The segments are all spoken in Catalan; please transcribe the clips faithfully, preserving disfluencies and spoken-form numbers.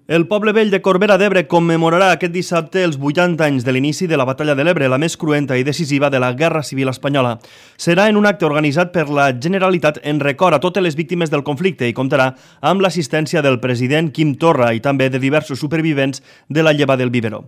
El poble vell de Corbera d'Ebre commemorarà aquest dissabte els vuitanta anys de l'inici de la Batalla de l'Ebre, la més cruenta i decisiva de la Guerra Civil Espanyola. Serà en un acte organitzat per la Generalitat en record a totes les víctimes del conflicte i comptarà amb l'assistència del president Quim Torra i també de diversos supervivents de la lleva del Biberó.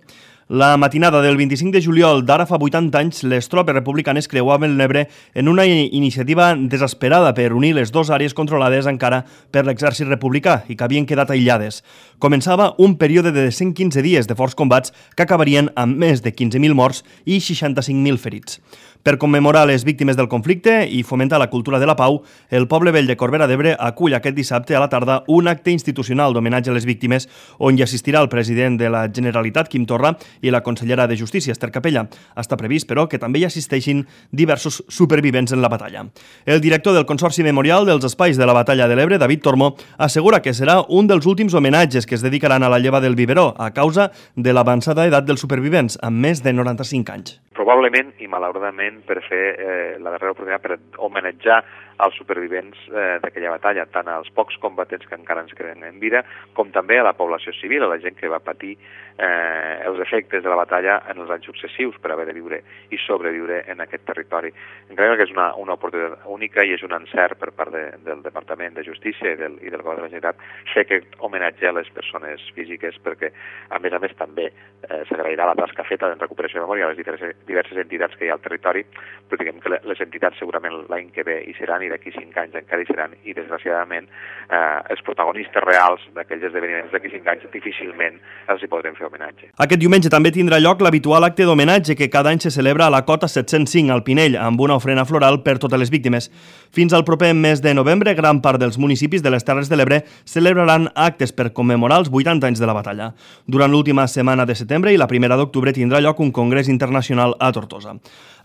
La matinada del vint-i-cinc de juliol d'ara fa vuitanta anys, les tropes republicanes creuaven l'Ebre en una iniciativa desesperada per unir les dues àrees controlades encara per l'exèrcit republicà i que havien quedat aïllades. Començava un període de cent quinze dies de forts combats que acabarien amb més de quinze mil morts i seixanta-cinc mil ferits. Per commemorar les víctimes del conflicte i fomentar la cultura de la pau, el poble vell de Corbera d'Ebre acull aquest dissabte a la tarda un acte institucional d'homenatge a les víctimes on hi assistirà el president de la Generalitat, Quim Torra, i la consellera de Justícia, Esther Capella. Està previst, però, que també hi assisteixin diversos supervivents en la batalla. El director del Consorci Memorial dels Espais de la Batalla de l'Ebre, David Tormo, assegura que serà un dels últims homenatges que es dedicaran a la lleva del Biberó a causa de l'avançada edat dels supervivents, amb més de noranta-cinc anys. Probablement i malauradament per fer eh, la darrera oportunitat per homenatjar als supervivents eh, d'aquella batalla, tant als pocs combatents que encara ens queden en vida, com també a la població civil, a la gent que va patir eh, els efectes de la batalla en els anys successius per haver de viure i sobreviure en aquest territori. Crec que és una, una oportunitat única i és un encert per part de, del Departament de Justícia i del, i del Govern de la Generalitat fer aquest homenatge a les persones físiques perquè, a més a més, també eh, s'agrairà la tasca feta en recuperació de memòria a les diverses, diverses entitats que hi ha al territori, però diguem que les entitats segurament l'any que ve hi seran i d'aquí cinc anys encara hi seran i desgraciadament eh, els protagonistes reals d'aquells esdeveniments d'aquí cinc anys difícilment els hi podrem fer homenatge. Aquest diumenge també tindrà lloc l'habitual acte d'homenatge que cada any se celebra a la cota set-cents cinc al Pinell amb una ofrena floral per totes les víctimes. Fins al proper mes de novembre, gran part dels municipis de les Terres de l'Ebre celebraran actes per commemorar els vuitanta anys de la batalla. Durant l'última setmana de setembre i la primera d'octubre tindrà lloc un congrés internacional a Tortosa.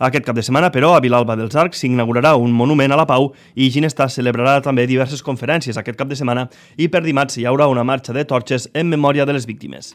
Aquest cap de setmana, però, a Vilalba dels Arcs s'inaugurarà un monument a la pau i Ginestà celebrarà també diverses conferències aquest cap de setmana i per dimarts hi haurà una marxa de torxes en memòria de les víctimes.